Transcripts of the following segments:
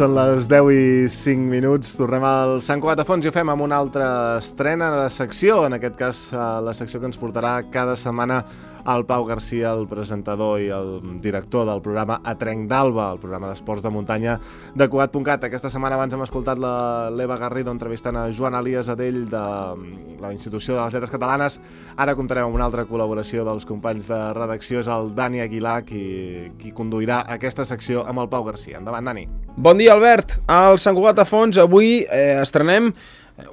Són les 10 i 5 minuts. Tornem al Sant Cugat a Fons i ho fem amb una altra estrena de secció, en aquest cas la secció que ens portarà cada setmana el Pau Garcia, el presentador i el director del programa A Trenc d'Alba, el programa d'esports de muntanya de Cugat.cat. Aquesta setmana abans hem escoltat l'Eva Garrido entrevistant a Joan Elias Adell de la Institució de les Lletres Catalanes. Ara comptarem amb una altra col·laboració dels companys de redacció, és el Dani Aguilar, qui conduirà aquesta secció amb el Pau Garcia. Endavant, Dani. Bon dia, Albert. Al Sant Cugat a Fons avui estrenem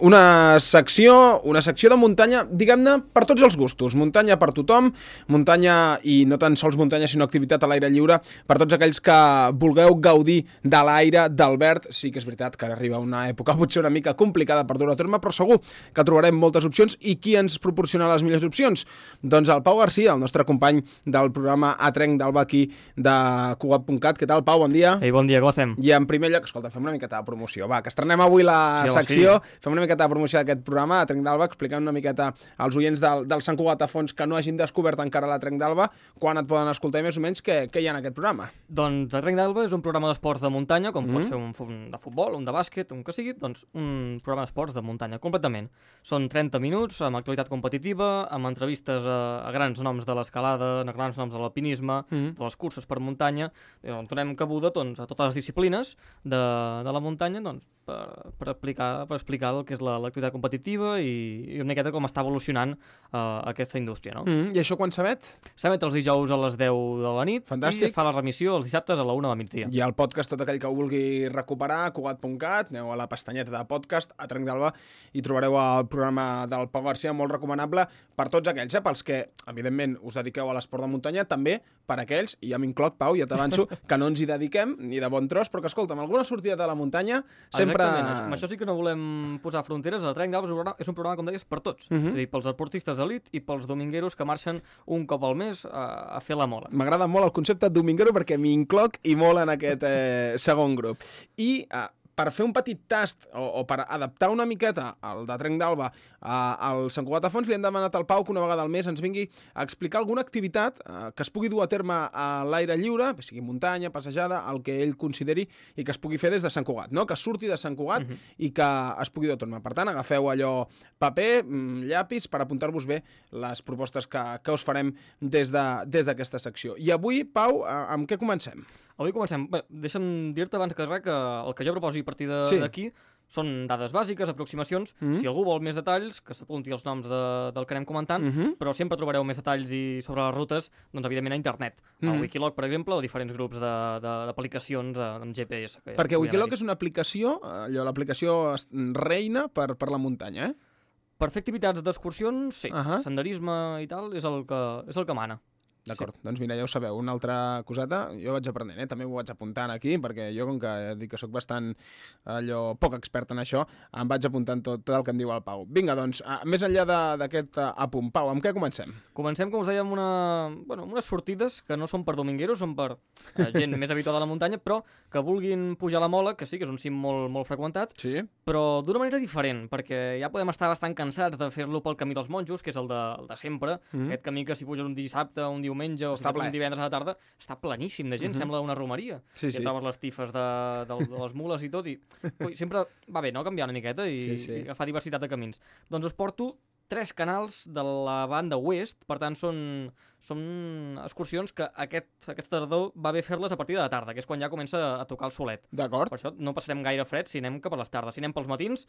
una secció de muntanya, diguem-ne, per tots els gustos. Muntanya per tothom, muntanya i no tan sols muntanya, sinó activitat a l'aire lliure per tots aquells que vulgueu gaudir de l'aire, del verd. Sí que és veritat que arriba una època potser una mica complicada per dur a terme, però segur que trobarem moltes opcions. I qui ens proporciona les millors opcions? Doncs el Pau Garcia, el nostre company del programa A Trenc d'Alba aquí de Cugat.cat. Què tal, Pau? Bon dia. Ei, bon dia, com estem? I en primer lloc, escolta, fem una miqueta de promoció. Va, que estrenem avui la secció. Sí. Fem una miqueta de promoció d'aquest programa, a Trenc d'Alba, explicant una miqueta als oients del Sant Cugat a Fons que no hagin descobert encara la Trenc d'Alba, quan et poden escoltar i més o menys què hi ha en aquest programa. Doncs a Trenc d'Alba és un programa d'esports de muntanya, com pot ser un de futbol, un de bàsquet, un que sigui, doncs un programa d'esports de muntanya, completament. Són 30 minuts, amb actualitat competitiva, amb entrevistes a grans noms de l'escalada, a grans noms de l'alpinisme, de les curses per muntanya, on donem cabuda doncs, a totes les disciplines de la muntanya, doncs, per explicar el que és l'activitat competitiva i una miqueta com està evolucionant aquesta indústria, no? I això quan s'emet? S'emet els dijous a les 10 de la nit. Fantàstic. I fa la remissió els dissabtes a la 1 del migdia. I el podcast, tot aquell que ho vulgui recuperar, Cugat.cat, aneu a la pestanyeta de podcast, a Trenc d'Alba, i trobareu el programa del Pau Garcia, molt recomanable per tots aquells, pels que, evidentment, us dediqueu a l'esport de muntanya, també per aquells, i ja m'incloc, Pau, ja t'avanço, que no ens hi dediquem, ni de bon tros, però que, escolta'm, alguna sortida de la muntanya sempre... Exactament, amb això sí que no volem posar fronteres. El Trenc d'Alba és un programa, com deies, per tots. És a dir, pels esportistes d'elit i pels domingueros que marxen un cop al mes a fer la mola. M'agrada molt el concepte dominguero perquè m'hi incloc i molt en aquest segon grup. I per fer un petit tast o per adaptar una miqueta el de Trenc d'Alba al Sant Cugat a Fons, li hem demanat al Pau que una vegada al mes ens vingui a explicar alguna activitat que es pugui dur a terme a l'aire lliure, sigui muntanya, passejada, el que ell consideri i que es pugui fer des de Sant Cugat, no? Que surti de Sant Cugat i que es pugui dur a terme. Per tant, agafeu allò paper, llapis, per apuntar-vos bé les propostes que us farem des d'aquesta secció. I avui, Pau, amb què comencem? Avui comencem. Bé, deixa'm dir-te abans que res que el que jo proposi a partir d'aquí són dades bàsiques, aproximacions. Si algú vol més detalls, que s'apunti els noms del que anem comentant, però sempre trobareu més detalls sobre les rutes, doncs evidentment a internet. A Wikiloc, per exemple, o diferents grups d'aplicacions amb GPS. Perquè Wikiloc és una aplicació, l'aplicació reina per la muntanya, Per fer activitats d'excursions, sí. Senderisme i tal és el que mana. D'acord, doncs mira, ja ho sabeu, una altra coseta, jo vaig aprenent, també ho vaig apuntant aquí, perquè jo, com que dic que sóc bastant poc expert en això, em vaig apuntant tot el que em diu el Pau. Vinga, doncs, més enllà d'aquest apunt, Pau, amb què comencem? Comencem, com us dèiem, unes sortides que no són per domingueros, són per gent més habituada a la muntanya, però que vulguin pujar a la Mola, que sí, que és un cim molt, molt freqüentat, però d'una manera diferent, perquè ja podem estar bastant cansats de fer-lo pel camí dels monjos, que és el de sempre, aquest camí que si puges un dissabte, un diumenge o un divendres a la tarda, està pleníssim de gent, sembla una romeria. Sí. Trobes les tifes de les mules i tot, i sempre va bé, no?, canviar una miqueta i agafar diversitat de camins. Doncs us porto 3 canals de la banda oest, per tant són excursions que aquest tardor va bé fer-les a partir de la tarda, que és quan ja comença a tocar el solet. D'acord. Per això no passarem gaire fred si anem cap a les tardes. Si anem pels matins,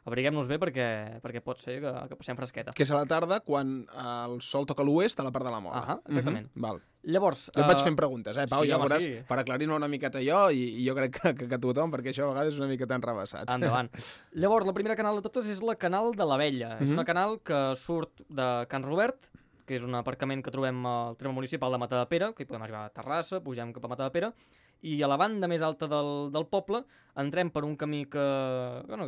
abriguem-nos bé perquè pot ser que passem fresqueta. Que és a la tarda quan el sol toca a l'oest, a la part de la Mola. Exactament. Val. Llavors... Jo et vaig fent preguntes, Pau, sí, ja veuràs, sí. Per aclarir-me una miqueta jo, i jo crec que tothom, perquè això a vegades és una miqueta enrevessat. Endavant. Llavors, la primera canal de totes és la Canal de l'Abella. És una canal que surt de Can Robert, que és un aparcament que trobem al terme municipal de Matadepera, que hi podem arribar a Terrassa, pugem cap a Matadepera, i a la banda més alta del poble entrem per un camí que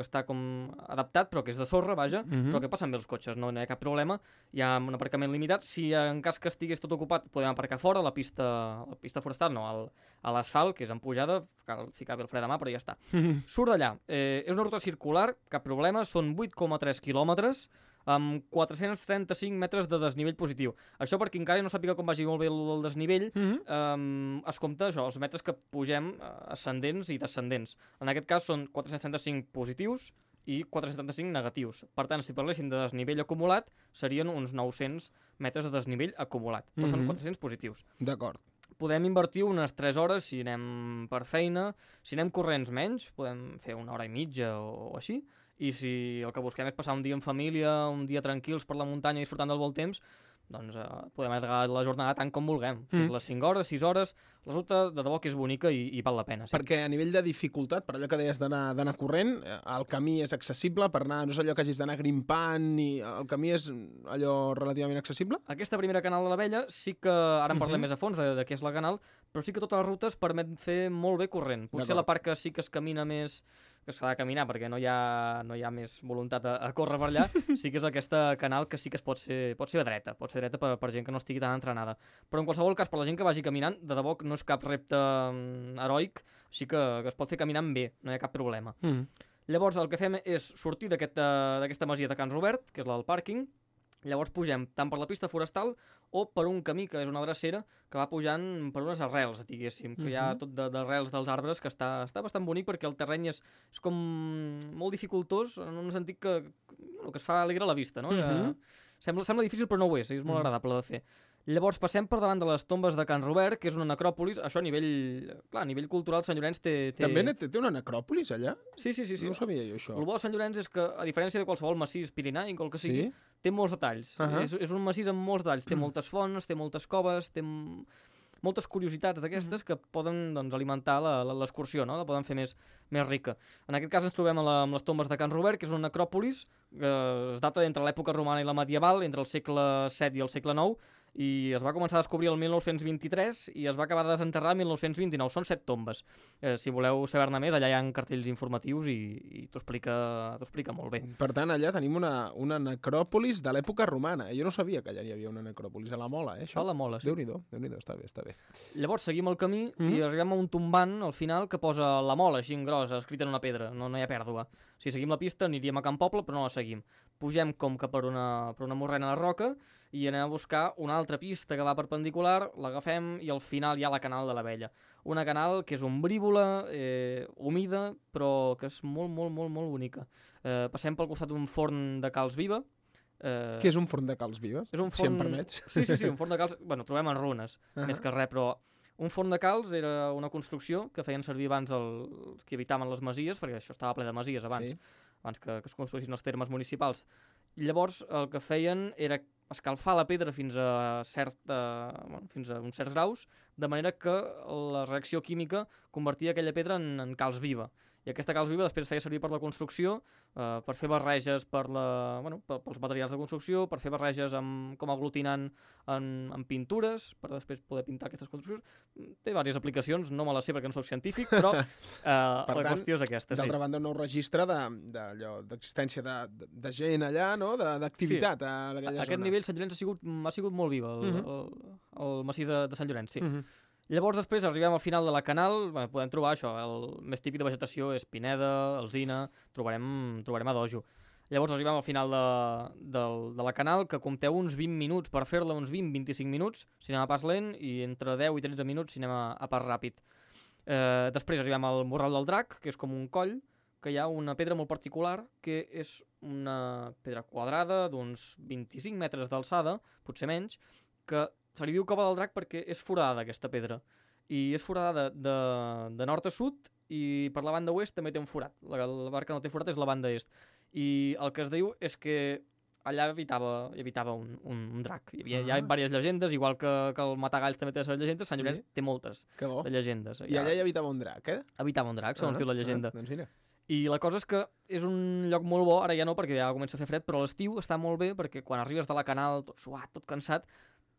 està com adaptat, però que és de sorra, vaja, però que passen bé els cotxes, no hi ha cap problema. Hi ha un aparcament limitat. Si en cas que estigués tot ocupat, podem aparcar fora, a la pista forestal, no, a l'asfalt, que és en pujada, cal ficar bé el fre de mà, però ja està. Surt d'allà. És una ruta circular, cap problema, són 8,3 quilòmetres, amb 435 metres de desnivell positiu. Això perquè encara no sàpiga com vagi molt bé el desnivell, es compta això, els metres que pugem ascendents i descendents. En aquest cas són 435 positius i 475 negatius. Per tant, si parléssim de desnivell acumulat, serien uns 900 metres de desnivell acumulat. Però són 400 positius. D'acord. Podem invertir unes 3 hores si anem per feina. Si anem corrents menys, podem fer 1 hora i mitja o així. I si el que busquem és passar un dia en família, un dia tranquils per la muntanya i disfrutant del bon temps, doncs podem allargar la jornada tant com vulguem. Les 5 hores, 6 hores, la ruta de debò que és bonica i val la pena. Sí. Perquè a nivell de dificultat, per allò que deies d'anar corrent, el camí és accessible per anar, no és allò que hagis d'anar grimpant, i el camí és allò relativament accessible? Aquesta primera canal de l'Abella sí que, ara en parlem més a fons de què és la canal, però sí que totes les rutes permet fer molt bé corrent. Potser la part que sí que es camina més, que s'ha de caminar perquè no hi ha més voluntat a córrer per allà, sí que és aquesta canal que sí que pot ser dreta per gent que no estigui tan entrenada. Però en qualsevol cas, per la gent que vagi caminant, de debò que no és cap repte heroic, sí que es pot fer caminant bé, no hi ha cap problema. Llavors el que fem és sortir d'aquesta masia de Can Robert, que és la del pàrquing. Llavors pugem tant per la pista forestal o per un camí que és una drecera que va pujant per unes arrels, diguéssim, que hi ha tot d'arrels dels arbres, que està bastant bonic perquè el terreny és com molt dificultós, en un sentit que es fa alegre a la vista, no? Sembla difícil però no ho és molt agradable de fer. Llavors passem per davant de les tombes de Can Robert, que és una necròpolis. Això a nivell cultural, Sant Llorenç té... També té una necròpolis allà? Sí. No ho sabia jo, això. El bo de Sant Llorenç és que, a diferència de qualsevol massís pirenaic o el que sigui, té molts detalls. És un massís amb molts detalls. Té moltes fonts, té moltes coves, té moltes curiositats d'aquestes que poden alimentar l'excursió, no? La poden fer més rica. En aquest cas ens trobem amb les tombes de Can Robert, que és una necròpolis que es data entre l'època romana i la medieval, entre el segle VII i el segle IX, i es va començar a descobrir el 1923 i es va acabar de desenterrar el 1929. Són 7 tombes. Si voleu saber-ne més, allà hi ha cartells informatius i t'ho explica molt bé. Per tant, allà tenim una necròpolis de l'època romana. Jo no sabia que allà hi havia una necròpolis. A la Mola, això? A la Mola, sí. Déu-n'hi-do, està bé. Llavors seguim el camí i arribem a un tombant al final que posa la Mola, així en gros, escrita en una pedra. No hi ha pèrdua. Si seguim la pista aniríem a Can Poble, però no la seguim. Pugem com que per una morrena de roca i anem a buscar una altra pista que va perpendicular, l'agafem i al final hi ha la canal de l'Abella. Una canal que és ombrívola, humida, però que és molt, molt, molt, molt bonica. Passem pel costat d'un forn de calç viva. Què és un forn de calç viva? És un forn... Si em permets. Sí, un forn de calç... Bueno, trobem en runes, més que res, però un forn de calç era una construcció que feien servir abans els que habitaven les masies, perquè això estava ple de masies abans que es construïssin els termes municipals. Llavors el que feien era escalfar la pedra fins a uns certs graus, de manera que la reacció química convertia aquella pedra en calç viva. I aquesta calç viva després feia servir per la construcció, per fer barreges pels materials de construcció, per fer barreges com a aglutinant en pintures, per després poder pintar aquestes construccions. Té diverses aplicacions, no me les sé perquè no soc científic, però la qüestió és aquesta. D'altra banda, un nou registre d'existència de gent allà, no? D'activitat a aquella zona. A aquest nivell Sant Llorenç ha sigut molt viva, el massís de Sant Llorenç, sí. Llavors després arribem al final de la canal, podem trobar això, el més típic de vegetació és pineda, alzina, trobarem adojo. Llavors arribem al final de la canal, que compteu uns 20 minuts per fer-la, uns 20-25 minuts, si anem a pas lent, i entre 10 i 13 minuts si anem a pas ràpid. Després arribem al Morral del Drac, que és com un coll, que hi ha una pedra molt particular, que és una pedra quadrada d'uns 25 metres d'alçada, potser menys, que se li diu Cova del Drac perquè és foradada aquesta pedra. I és foradada de nord a sud i per la banda oest també té un forat. La part que no té forat és la banda est. I el que es diu és que allà hi habitava un drac. Hi ha diverses llegendes, igual que el Matagalls també té les llegendes, Sant Llorenç té moltes de llegendes. I allà hi habitava un drac, Habitava un drac, segons diu la llegenda. Doncs mira. I la cosa és que és un lloc molt bo, ara ja no perquè ja comença a fer fred, però a l'estiu està molt bé perquè quan arribes de la canal tot suat, tot cansat,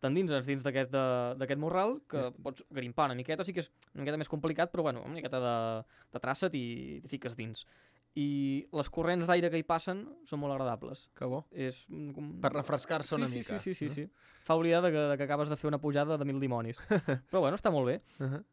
t'endinses dins d'aquest morral, que pots grimpar una miqueta, sí que és una miqueta més complicat, però bueno, una miqueta de traça t'hi fiques dins. i les corrents d'aire que hi passen són molt agradables. Que bo. És... Per refrescar-se una mica. Sí. Fa oblidar que acabes de fer una pujada de 1000 dimonis. Però bueno, està molt bé.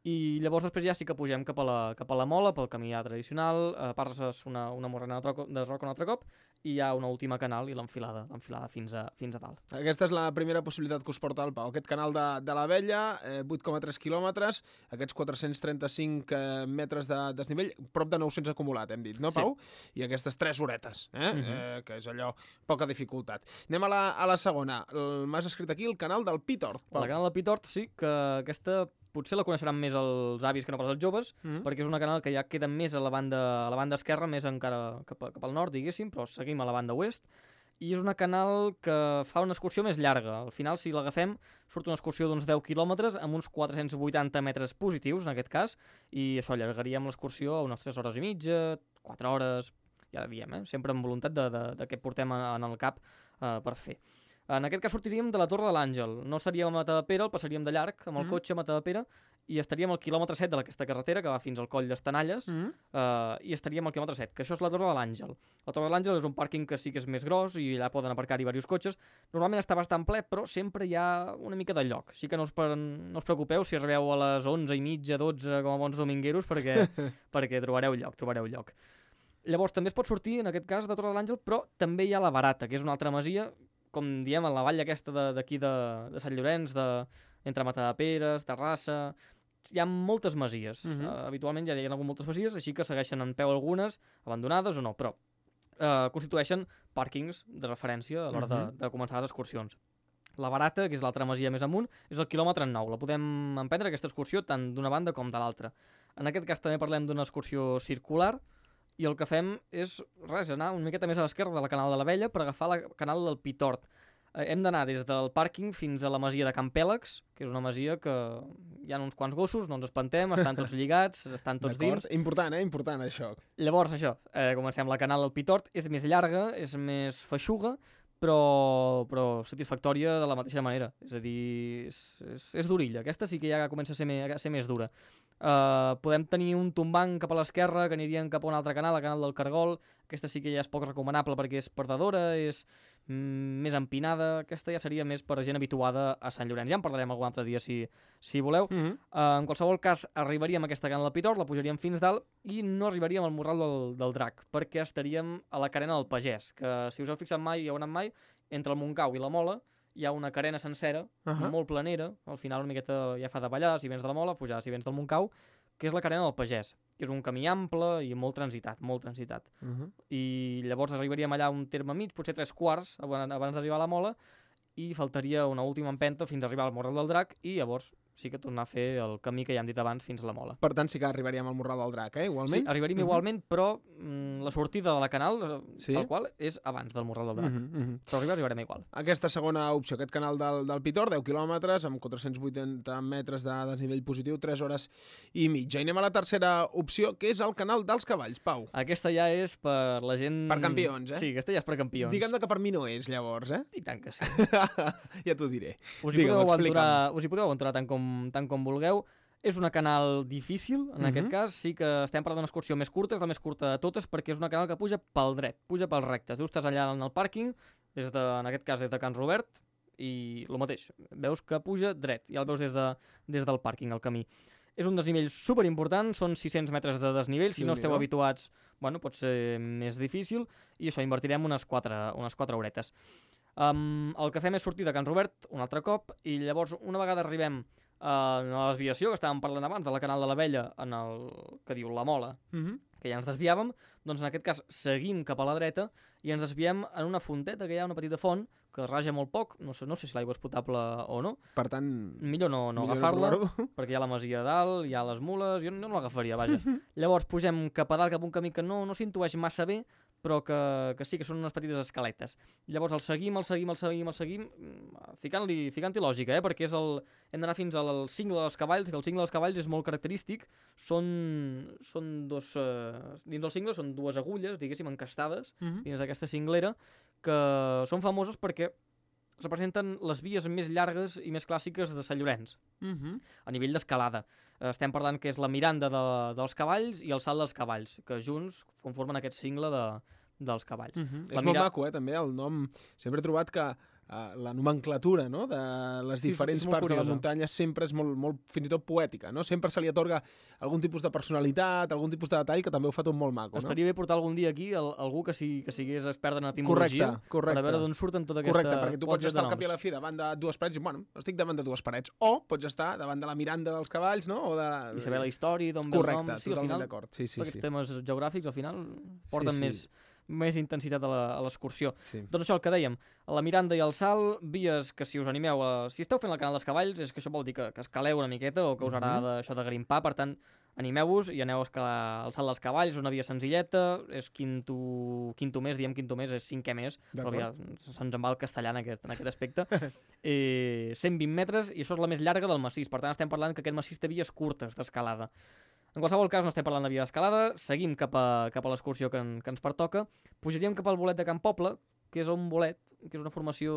I llavors després ja sí que pugem cap a la mola, pel camí ja tradicional, passes una morrena de roca un altre cop, i hi ha una última canal i l'enfilada fins a dalt. Aquesta és la primera possibilitat que us porta el Pau. Aquest canal de l'Abella, 8,3 quilòmetres, aquests 435 metres de desnivell, prop de 900 acumulat, hem dit, no, Pau? Sí. I aquestes 3 horetes, que és allò, poca dificultat. Anem a la segona. M'has escrit aquí el canal del Pitort. El canal del Pitort, sí, que aquesta potser la coneixeran més els avis que no pas els joves, perquè és una canal que ja queda més a la banda esquerra, més encara cap al nord, diguéssim, però seguim a la banda oest, i és una canal que fa una excursió més llarga. Al final, si l'agafem, surt una excursió d'uns 10 quilòmetres amb uns 480 metres positius, en aquest cas, i això allargaríem l'excursió a unes 3 hores i mitja, 4 hores, ja diem, sempre amb voluntat de què portem en el cap per fer. En aquest cas sortiríem de la Torre de l'Àngel. No estaríem a Matadepera, el passaríem de llarg amb el cotxe a Matadepera, i estaríem al quilòmetre 7 d'aquesta carretera que va fins al coll d'Estanalles, i estaríem al quilòmetre 7, que això és la Torre de l'Àngel. La Torre de l'Àngel és un pàrquing que sí que és més gros i allà poden aparcar-hi diversos cotxes. Normalment està bastant ple, però sempre hi ha una mica de lloc. Així que no us preocupeu si arribeu a les 11:30, 12, com a bons domingueros, perquè trobareu lloc. Llavors també es pot sortir, en aquest cas, de Torre de l'Àngel, però també hi ha la Barata, que és una altra masia, com diem, a la vall aquesta d'aquí de Sant Llorenç, entre Matadepera, Terrassa. Hi ha moltes masies. Habitualment ja hi ha hagut moltes masies, així que segueixen en peu algunes, abandonades o no, però constitueixen pàrquings de referència a l'hora de començar les excursions. La Barata, que és l'altra masia més amunt, és el quilòmetre 9. La podem emprendre, aquesta excursió, tant d'una banda com de l'altra. En aquest cas també parlem d'una excursió circular, i el que fem és, anar una miqueta més a l'esquerra de la canal de l'Abella per agafar la canal del Pitort. Hem d'anar des del pàrquing fins a la masia de Can Pèlegs, que és una masia que hi ha uns quants gossos, no ens espantem, estan tots lligats, estan tots dins. Important, important això. Llavors això, comencem la canal del Pitort, és més llarga, és més feixuga, però satisfactòria de la mateixa manera. És a dir, és durilla. Aquesta sí que ja comença a ser més dura. Podem tenir un tombant cap a l'esquerra que anirien cap a un altre canal, el canal del Cargol. Aquesta sí que ja és poc recomanable perquè és perdedora, és més empinada. Aquesta ja seria més per gent habituada a Sant Llorenç. Ja en parlarem algun altre dia si voleu. En qualsevol cas, arribaríem a aquesta canal del Pitort, la pujaríem fins dalt i no arribaríem al Morral del Drac, perquè estaríem a la carena del Pagès, que si us heu fixat mai, hi heu anat mai, entre el Montcau i la Mola hi ha una carena sencera, molt planera, al final una miqueta ja fa de ballar, si vens de la Mola, pujar si vens del Montcau, que és la carena del Pagès, que és un camí ample i molt transitat. I llavors arribaríem allà un terme mig, potser 3/4 abans d'arribar a la Mola, i faltaria una última empenta fins a arribar al Morral del Drac, i llavors sí que tornar a fer el camí que ja hem dit abans fins a la Mola. Per tant, sí que arribaríem al Morral del Drac, igualment? Sí, arribaríem igualment, però la sortida de la canal, tal qual, és abans del Morral del Drac. Però arribarem igual. Aquesta segona opció, aquest canal del Pitort, 10 quilòmetres, amb 480 metres de desnivell positiu, 3 hores i mitja. I anem a la tercera opció, que és el canal dels cavalls, Pau. Aquesta ja és per la gent... Per campions, Sí, aquesta ja és per campions. Diguem que per mi no és, llavors, I tant que sí. Ja t'ho diré. Us hi podeu aventurar tant com vulgueu. És una canal difícil, en aquest cas. Sí que estem parlant d'una excursió més curta, és la més curta de totes, perquè és una canal que puja pel dret, puja pels rectes. Tu estàs allà en el pàrquing, en aquest cas des de Can Robert, i el mateix, veus que puja dret, ja el veus des del pàrquing, el camí. És un desnivell superimportant, són 600 metres de desnivell, si no esteu habituats, pot ser més difícil, i això, invertirem unes 4 horetes. El que fem és sortir de Can Robert un altre cop, i llavors una vegada arribem a la desviació que estàvem parlant abans de la canal de l'Abella, en el que diu la Mola, que ja ens desviàvem, doncs en aquest cas seguim cap a la dreta i ens desviem en una fonteta, que hi ha una petita font que raja molt poc, no sé si l'aigua és potable o no. Per tant... Millor no agafar-la, perquè hi ha la masia a dalt, hi ha les mules, jo no l'agafaria, vaja. Llavors pugem cap a dalt, cap a un camí que no s'intueix massa bé, però que sí que són unes petites escaletes. Llavors el seguim, ficant-hi lògica, perquè hem d'anar fins al cingle dels cavalls, que el cingle dels cavalls és molt característic, dins del cingle són 2 agulles, diguéssim, encastades, dins d'aquesta cinglera, que són famoses perquè representen les vies més llargues i més clàssiques de Sant Llorenç, a nivell d'escalada. Estem parlant que és la Miranda dels cavalls i el Salt dels cavalls, que junts conformen aquest cingle dels cavalls. És molt maco, també, el nom. Sempre he trobat que la nomenclatura, no?, de les diferents parts curiosa. De la muntanya sempre és molt, fins i tot poètica, no? Sempre se li atorga algun tipus de personalitat, algun tipus de detall que també ho fa tot molt maco, Estaria bé portar algun dia aquí algú que sigués expert en etimologia, correcte. Per a veure d'on surten tota aquesta... Correcte, perquè tu pots estar al cap i a la fi davant de dues parets i, bueno, estic davant de dues parets, o pots estar davant de la Miranda dels cavalls, no?, o de... I saber la història, d'on ve el nom... Correcte, totalment d'acord. Sí. Aquests temes geogràfics, al final, porten més intensitat a l'excursió. Sí. Doncs això, el que dèiem, la Miranda i el Salt, vies que si us animeu, si esteu fent el canal dels cavalls, és que això vol dir que escaleu una miqueta o que us agrada això de grimpar, per tant, animeu-vos i aneu a escalar el Salt dels cavalls, una via senzilleta, és quinto mes, diem quinto mes, és cinquè mes, però ja se'ns en va el castellà en aquest aspecte. 120 metres, i això és la més llarga del massís, per tant estem parlant que aquest massís té vies curtes d'escalada. En qualsevol cas, no estem parlant de via d'escalada, seguim cap a l'excursió que ens pertoca, pujaríem cap al bolet de Can Poble, que és un bolet, que és una formació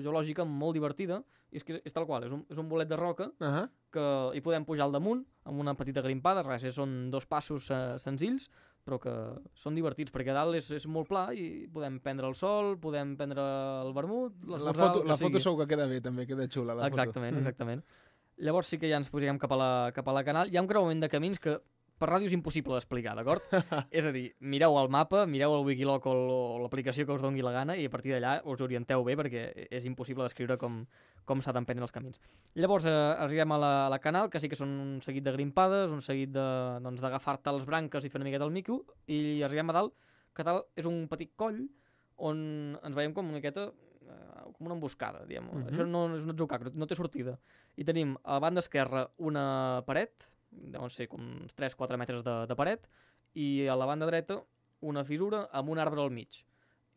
geològica molt divertida, i és tal qual, és un bolet de roca, que hi podem pujar al damunt, amb una petita grimpada, res, són 2 passos senzills, però que són divertits, perquè a dalt és molt pla i podem prendre el sol, podem prendre el vermut, la foto segur que queda bé, també, queda xula la foto. Exactament. Llavors sí que ja ens posarem cap a la Canal. Hi ha un creuament de camins que per ràdio és impossible d'explicar, d'acord? És a dir, mireu el mapa, mireu el Wikiloc o l'aplicació que us doni la gana i a partir d'allà us orienteu bé perquè és impossible descriure com s'ha d'emprendre els camins. Llavors arribem a la Canal, que sí que són un seguit de grimpades, un seguit d'agafar-te les branques i fer una miqueta el mico, i arribem a dalt, que dalt és un petit coll on ens veiem com una miqueta com una emboscada, diguem. Això no és un atzucac, no té sortida. I tenim a la banda esquerra una paret, deuen ser com uns 3-4 metres de paret, i a la banda dreta una fissura amb un arbre al mig.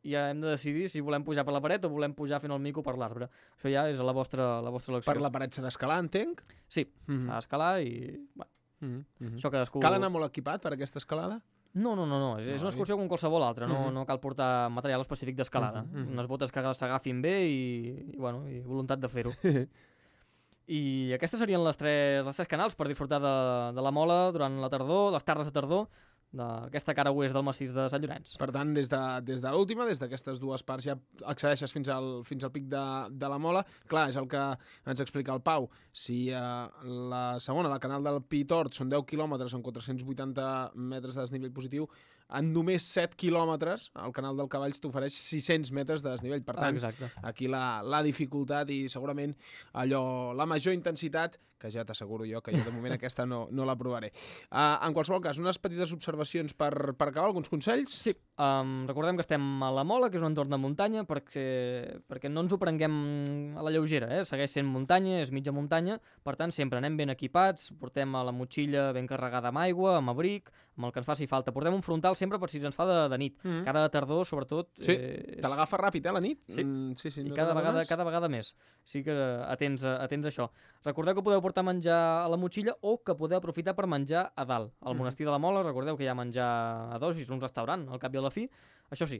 I ja hem de decidir si volem pujar per la paret o volem pujar fent el mico per l'arbre. Això ja és la vostra elecció. Per la paret s'ha d'escalar, entenc? Sí, s'ha d'escalar i... Bueno, això cadascú... Cal anar molt equipat per aquesta escalada? No. És una excursió com qualsevol altra. No cal portar material específic d'escalada. Unes botes que s'agafin bé i voluntat de fer-ho. I aquestes serien les tres canals per disfrutar de la Mola durant la tardor, les tardes de tardor, d'aquesta cara oest del massís de Sant Llorenç. Per tant, des de l'última, des d'aquestes dues parts, ja accedeixes fins al pic de la Mola. Clar, és el que ens explica el Pau. Si la segona, la Canal del Pi Tort, són 10 quilòmetres amb 480 metres de desnivell positiu, en només 7 quilòmetres el Canal del Cavalls t'ofereix 600 metres de desnivell. Per tant, aquí la dificultat i segurament la major intensitat, que ja t'asseguro jo que jo de moment aquesta no la provaré. En qualsevol cas, unes petites observacions per acabar, alguns consells? Sí, recordem que estem a la Mola, que és un entorn de muntanya, perquè no ens ho prenguem a la lleugera, segueix sent muntanya, és mitja muntanya, per tant sempre anem ben equipats, portem a la motxilla ben carregada amb aigua, amb abric, amb el que ens faci falta. Portem un frontal sempre per si ens fa de nit. Cara de tardor, sobretot... Sí, te l'agafa ràpid, la nit? Sí, i cada vegada més. Sí que atents a això. Recordeu que podeu portar menjar a la motxilla o que podeu aprofitar per menjar a dalt. Al monestir de la Mola, recordeu que hi ha menjar a dos, i és un restaurant, al cap i a la fi. Això sí,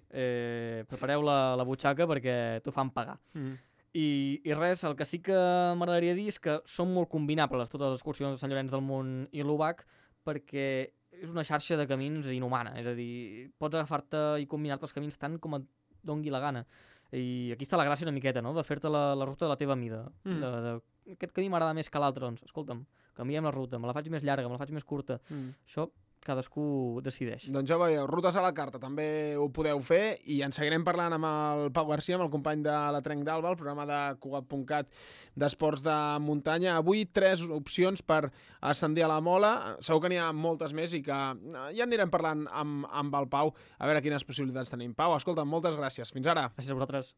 prepareu la butxaca perquè t'ho fan pagar. I res, el que sí que m'agradaria dir és que són molt combinables totes les excursions de Sant Llorenç del Munt i l'Obac, perquè és una xarxa de camins inhumana, és a dir, pots agafar-te i combinar-te els camins tant com et dongui la gana. I aquí està la gràcia una miqueta, no?, de fer-te la ruta de la teva mida. Aquest camí m'agrada més que l'altre, doncs, escolta'm, canviem la ruta, me la faig més llarga, me la faig més curta. Això cadascú decideix. Doncs ja veieu, rutes a la carta també ho podeu fer, i en seguirem parlant amb el Pau Garcia, amb el company de la Trenc d'Alba, el programa de Cugat.cat d'esports de muntanya. Avui 3 opcions per ascendir a la Mola, segur que n'hi ha moltes més i que ja anirem parlant amb el Pau a veure quines possibilitats tenim. Pau, escolta, moltes gràcies. Fins ara. Gràcies a vosaltres.